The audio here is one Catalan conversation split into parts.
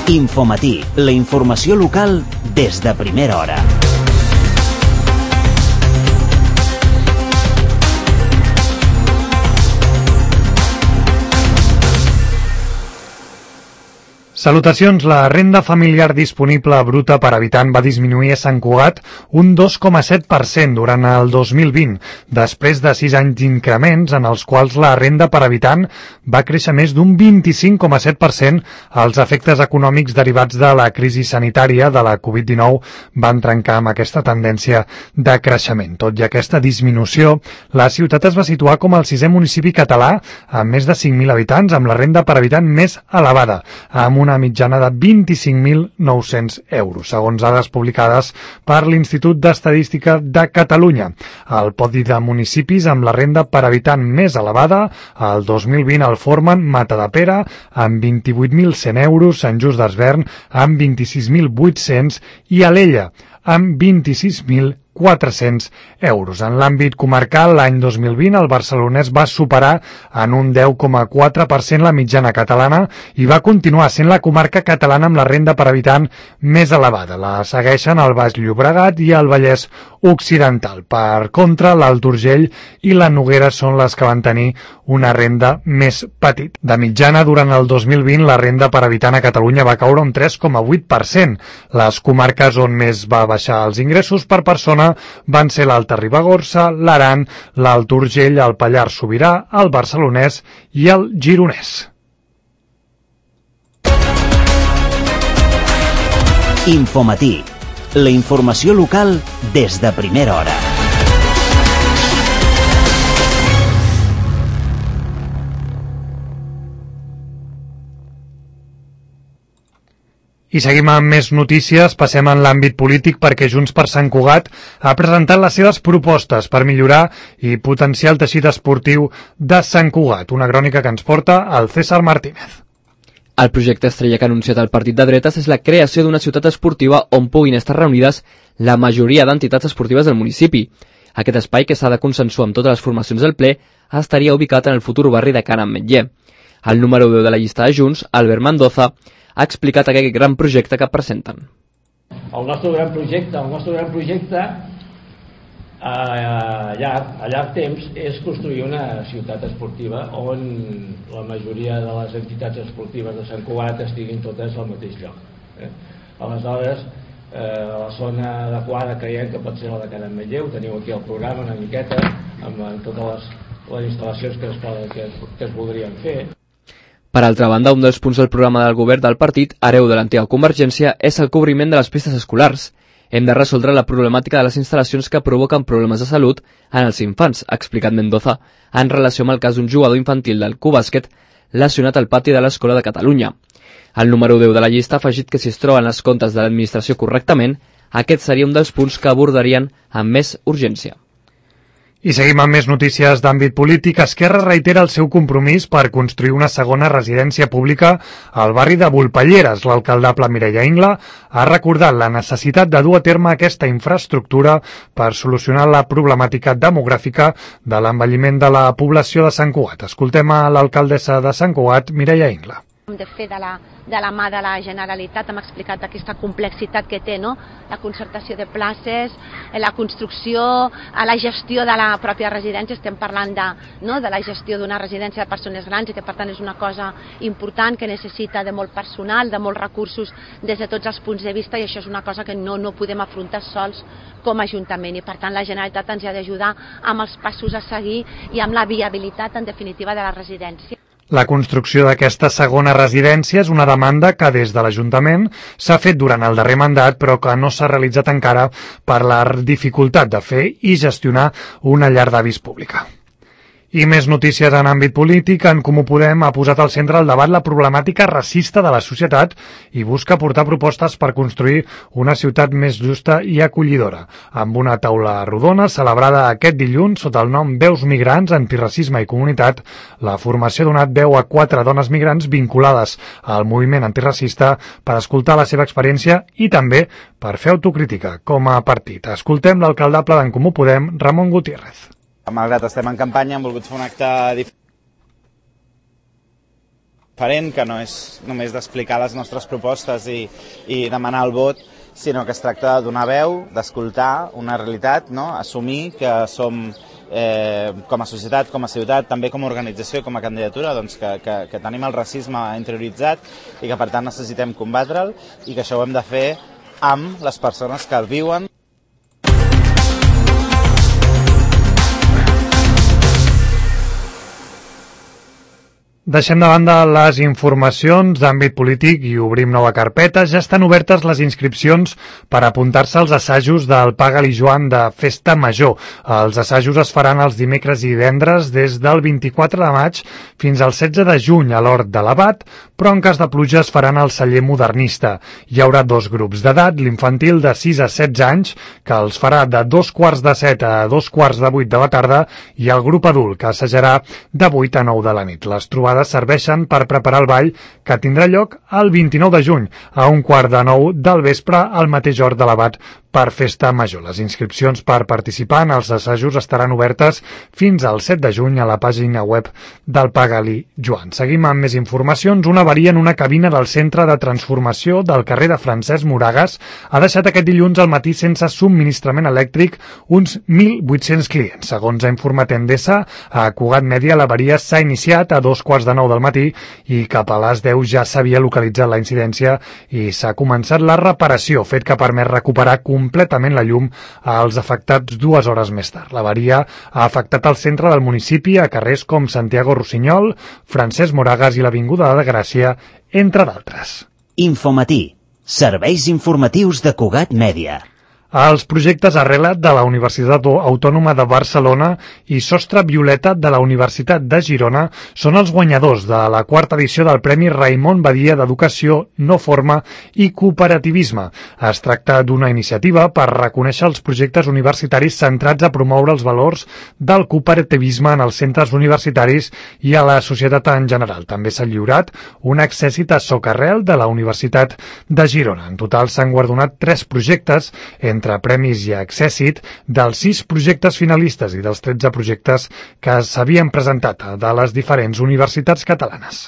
Infomatí, la informació local des de primera hora. Salutacions. La renda familiar disponible bruta per habitant va disminuir a Sant Cugat un 2,7% durant el 2020, després de 6 anys d'increments en els quals la renda per habitant va créixer més d'un 25,7%. Els efectes econòmics derivats de la crisi sanitària de la Covid-19 van trencar amb aquesta tendència de creixement. Tot i aquesta disminució, la ciutat es va situar com el 6è municipi català amb més de 5.000 habitants, amb la renda per habitant més elevada, amb una mitjana de 25.900 euros, segons dades publicades per l'Institut d'Estadística de Catalunya. El podi de municipis amb la renda per habitant més elevada el 2020 el formen Matadepera amb 28.100 euros, Sant Just Desvern amb 26.800 i Alella amb 26.400 euros. En l'àmbit comarcal, l'any 2020, el barcelonès va superar en un 10,4% la mitjana catalana i va continuar sent la comarca catalana amb la renda per habitant més elevada. La segueixen el Baix Llobregat i el Vallès Occidental. Per contra, l'Alt Urgell i la Noguera són les que van tenir una renda més petita. De mitjana, durant el 2020, la renda per habitant a Catalunya va caure un 3,8%. Les comarques on més va baixar els ingressos per persona van ser l'Alta Ribagorça, l'Aran, l'Alt Urgell, el Pallars Sobirà, el Barcelonès i el Gironès. Infomatí, la informació local des de primera hora. I seguim amb més notícies. Passem en l'àmbit polític perquè Junts per Sant Cugat ha presentat les seves propostes per millorar i potenciar el teixit esportiu de Sant Cugat. Una crònica que ens porta el César Martínez. El projecte estrella que ha anunciat el partit de dretes és la creació d'una ciutat esportiva on puguin estar reunides la majoria d'entitats esportives del municipi. Aquest espai, que s'ha de consensuar amb totes les formacions del ple, estaria ubicat en el futur barri de Can Ametller. El número 10 de la llista de Junts, Albert Mendoza, ha explicat aquest gran projecte que presenten. El nostre gran projecte a llarg temps és construir una ciutat esportiva on la majoria de les entitats esportives de Sant Cugat estiguin totes al mateix lloc. Aleshores, la zona adequada creiem que pot ser la de Can Ametller. Ho teniu aquí al programa una miqueta amb totes les instal·lacions que es voldrien fer. Per altra banda, un dels punts del programa del govern del partit, hereu de l'antiga Convergència, és el cobriment de les pistes escolars. Hem de resoldre la problemàtica de les instal·lacions que provoquen problemes de salut en els infants, ha explicat Mendoza, en relació amb el cas d'un jugador infantil del Q-Bàsquet lesionat al pati de l'Escola de Catalunya. El número 10 de la llista ha afegit que si es troben els comptes de l'administració correctament, aquest seria un dels punts que abordarien amb més urgència. I seguim amb més notícies d'àmbit polític. Esquerra reitera el seu compromís per construir una segona residència pública al barri de Volpelleres. L'alcaldable Mireia Ingla ha recordat la necessitat de dur a terme aquesta infraestructura per solucionar la problemàtica demogràfica de l'envelliment de la població de Sant Cugat. Escoltem a l'alcaldessa de Sant Cugat, Mireia Ingla. Hem de fer de la mà de la Generalitat, hem explicat aquesta complexitat que té, no? La concertació de places, la construcció, la gestió de la pròpia residència. Estem parlant de la gestió d'una residència de persones grans i que per tant és una cosa important que necessita de molt personal, de molts recursos des de tots els punts de vista, i això és una cosa que no podem afrontar sols com a Ajuntament, i per tant la Generalitat ens ha d'ajudar amb els passos a seguir i amb la viabilitat en definitiva de la residència. La construcció d'aquesta segona residència és una demanda que des de l'Ajuntament s'ha fet durant el darrer mandat, però que no s'ha realitzat encara per la dificultat de fer i gestionar una llar d'avis pública. I més notícies en àmbit polític. En Comú Podem ha posat al centre del debat la problemàtica racista de la societat i busca portar propostes per construir una ciutat més justa i acollidora. Amb una taula rodona celebrada aquest dilluns sota el nom Veus Migrants, Antiracisme i Comunitat, la formació ha donat veu a 4 dones migrants vinculades al moviment antiracista per escoltar la seva experiència i també per fer autocrítica com a partit. Escoltem l'alcaldable d'en Comú Podem, Ramon Gutiérrez. Malgrat estem en campanya, hem volgut fer un acte diferent. diferent, que no és només d'explicar les nostres propostes i demanar el vot, sinó que es tracta de donar veu, d'escoltar una realitat, no? Assumir que som, com a societat, com a ciutat, també com a organització, com a candidatura, doncs que tenim el racisme interioritzat i que per tant necessitem combatre'l i que això ho hem de fer amb les persones que el viuen. Deixem de banda les informacions d'àmbit polític i obrim nova carpeta. Ja estan obertes les inscripcions per apuntar-se als assajos del Paga-li Joan de Festa Major. Els assajos es faran els dimecres i divendres des del 24 de maig fins al 16 de juny a l'Hort de l'Abat, però en cas de pluja es faran al Celler Modernista. Hi haurà dos grups d'edat, l'infantil de 6 a 16 anys, que els farà de 2:45 a 2:45 de la tarda, i el grup adult, que assajarà de 8 a 9 de la nit. Les trobades serveixen per preparar el ball que tindrà lloc el 29 de juny a 8:45 del vespre al mateix Hort de l'Abat per Festa Major. Les inscripcions per participar en els assajos estaran obertes fins al 7 de juny a la pàgina web del Paga-li Joan. Seguim amb més informacions. Una avaria en una cabina del centre de transformació del carrer de Francesc Moragas ha deixat aquest dilluns al matí sense subministrament elèctric uns 1.800 clients. Segons ha informat Endesa, a Cugat Mèdia l'avaria s'ha iniciat a 2:15 del matí i cap a les 10 ja s'havia localitzat la incidència i s'ha començat la reparació, fet que ha permès recuperar completament la llum als afectats 2 hores més tard. L'avaria ha afectat el centre del municipi a carrers com Santiago Rossinyol, Francesc Moragas i l'Avinguda de Gràcia, entre d'altres. Infomatí. Serveis informatius de Cugat Mèdia. Els projectes Arrelat de la Universitat Autònoma de Barcelona i Sostre Violeta de la Universitat de Girona són els guanyadors de la 4ª edició del Premi Raimon Badia d'Educació, No Forma i Cooperativisme. Es tracta d'una iniciativa per reconèixer els projectes universitaris centrats a promoure els valors del cooperativisme en els centres universitaris i a la societat en general. També s'ha lliurat un accèssit a Socarrel de la Universitat de Girona. En total s'han guardonat 3 projectes, entre premis i accèssit, dels 6 projectes finalistes i dels 13 projectes que s'havien presentat de les diferents universitats catalanes.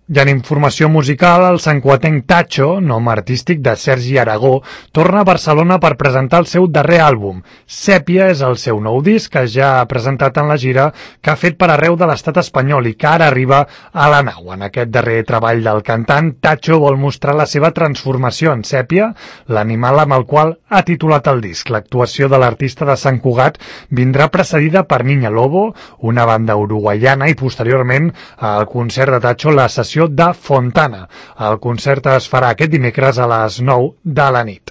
I en informació musical, el santcugatenc Tacho, nom artístic de Sergi Aragó, torna a Barcelona per presentar el seu darrer àlbum. Sèpia és el seu nou disc, que ja ha presentat en la gira que ha fet per arreu de l'estat espanyol i que ara arriba a la nau. En aquest darrer treball del cantant, Tacho vol mostrar la seva transformació en Sèpia, l'animal amb el qual ha titulat el disc. L'actuació de l'artista de Sant Cugat vindrà precedida per Niña Lobo, una banda uruguaiana, i posteriorment al concert de Tacho la sessió de Fontana. El concert es farà aquest dimecres a les 9 de la nit.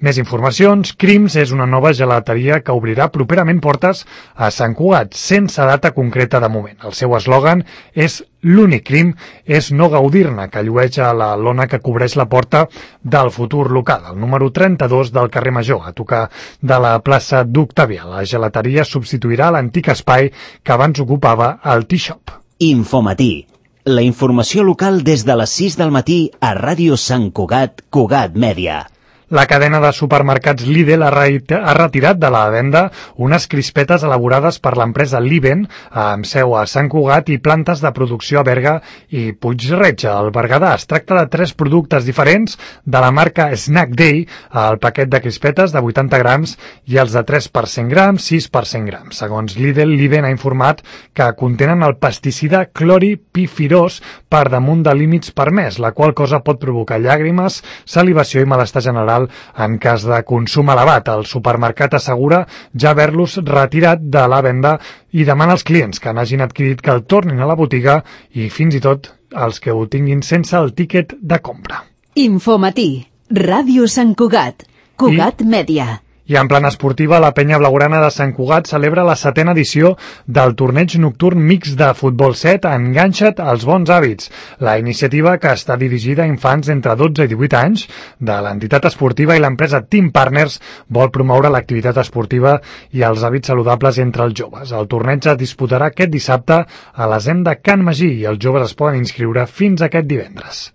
Més informacions. Crims és una nova gelateria que obrirà properament portes a Sant Cugat, sense data concreta de moment. El seu eslògan és "L'únic crim és no gaudir-ne", que llueix a la lona que cobreix la porta del futur local, el número 32 del carrer Major, a tocar de la plaça d'Octavià. La gelateria substituirà l'antic espai que abans ocupava el Tea Shop. Infomatí. La informació local des de les 6 del matí a Ràdio Sant Cugat, Cugat Mèdia. La cadena de supermercats Lidl ha retirat de la venda unes crispetes elaborades per l'empresa Liben, amb seu a Sant Cugat i plantes de producció a Berga i Puig-reig, al Berguedà. Es tracta de 3 productes diferents de la marca Snack Day, el paquet de crispetes de 80 grams i els de 3 per 100 grams, 6 per 100 grams. Segons Lidl, Liben ha informat que contenen el pesticida cloripifirós per damunt de límits permès, la qual cosa pot provocar llàgrimes, salivació i malestar general en cas de consum elevat. El supermercat assegura ja haver-los retirat de la venda i demana als clients que n'hagin adquirit que el tornin a la botiga i fins i tot els que ho tinguin sense el tíquet de compra. Infomatí, Ràdio Sant Cugat, Cugat Mèdia. I en plana esportiva, la penya blaugrana de Sant Cugat celebra la 7ª edició del torneig nocturn mix de futbol 7 Enganxa't als bons hàbits. La iniciativa, que està dirigida a infants entre 12 i 18 anys, de l'entitat esportiva i l'empresa Team Partners, vol promoure l'activitat esportiva i els hàbits saludables entre els joves. El torneig es disputarà aquest dissabte a l'Asem de Can Magí i els joves es poden inscriure fins aquest divendres.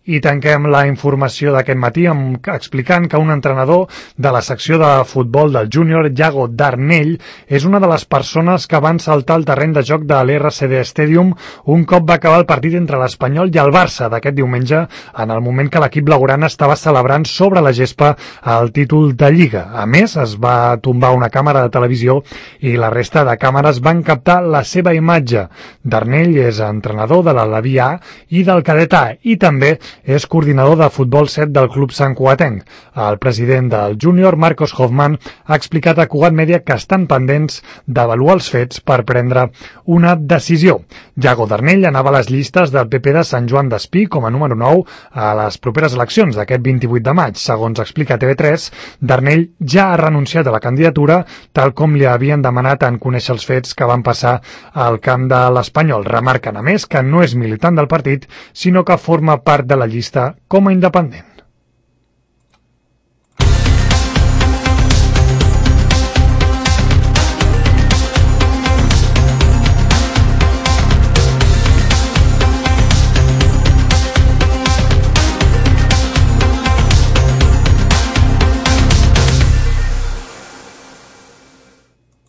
I tanquem la informació d'aquest matí explicant que un entrenador de la secció de futbol del júnior, Yago Darnell, és una de les persones que van saltar al terreny de joc de l'RCD Stadium un cop va acabar el partit entre l'Espanyol i el Barça d'aquest diumenge, en el moment que l'equip blaugrana estava celebrant sobre la gespa el títol de Lliga. A més, es va tombar una càmera de televisió i la resta de càmeres van captar la seva imatge. Darnell és entrenador de la Leví A i del Cadet A i també és coordinador de futbol 7 del club santcugatenc. El president del júnior, Marcos Hoffman, ha explicat a Cugat Mèdia que estan pendents d'avaluar els fets per prendre una decisió. Yago Darnell anava a les llistes del PP de Sant Joan d'Espí com a número 9 a les properes eleccions d'aquest 28 de maig. Segons explica TV3, Darnell ja ha renunciat a la candidatura, tal com li havien demanat en conèixer els fets que van passar al camp de l'Espanyol. Remarquen, a més, que no és militant del partit, sinó que forma part de la llista com a independent.